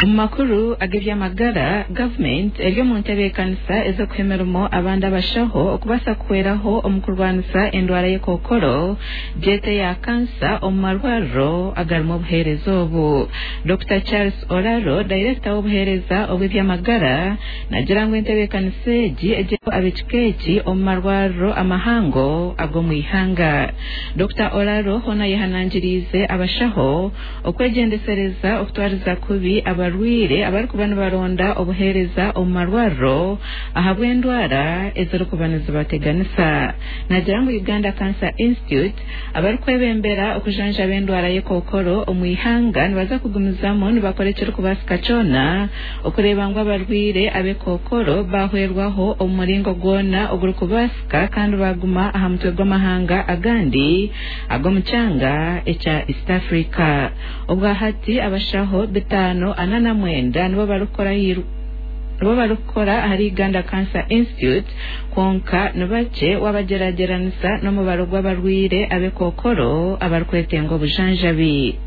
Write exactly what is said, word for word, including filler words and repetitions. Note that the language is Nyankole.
Omu makuru ag'eby'amagara, gavumenti eri omu ntebeekanisa ez'okuha emirimo abandi abashaho okubaasa kuhweraho omu kurwanisa endwara y'ekookoro gyete ya kansa omu marwariro agarimu obuheereza obu. Dokita Charles Oraro, dayirekita w'obuheereza obw'eby'amagara, nagira ngu entebeekanisa egi egy'eho ab'ekika eki omu marwariro amahango ag'omu ihanga. Dokita Oraro hoona ayehanangiriize abashaho okwegyendesereza okutwariza kubi abarwaire abarikuba nibaronda obuheereza omu marwariro ahabw'endwara ezirikuba nizibateganisa. Nagira ngu Uganda Cancer Institute abarikwebembera okujanjaba endwara y'ekookoro omu ihanga nibaza kugumizamu nibakora ekirikubaasika kyona okureeba ngu abarwaire ab'ekookoro bahwerwaho omu muringo gwona ogurikubaasika kandi baguma aha mutwe gw'amahanga agandi ag'omu kyanga ekya East Africa. Obwahati abashaho bitaano ana na mwenda nibo barikukora nibo barikukora ahari Uganda Cancer Institute, kwonka nibakye wabagyeragyeranisa n'omubaro gw'abarwaire ab'ekookoro abarikwetenga obujanjabi.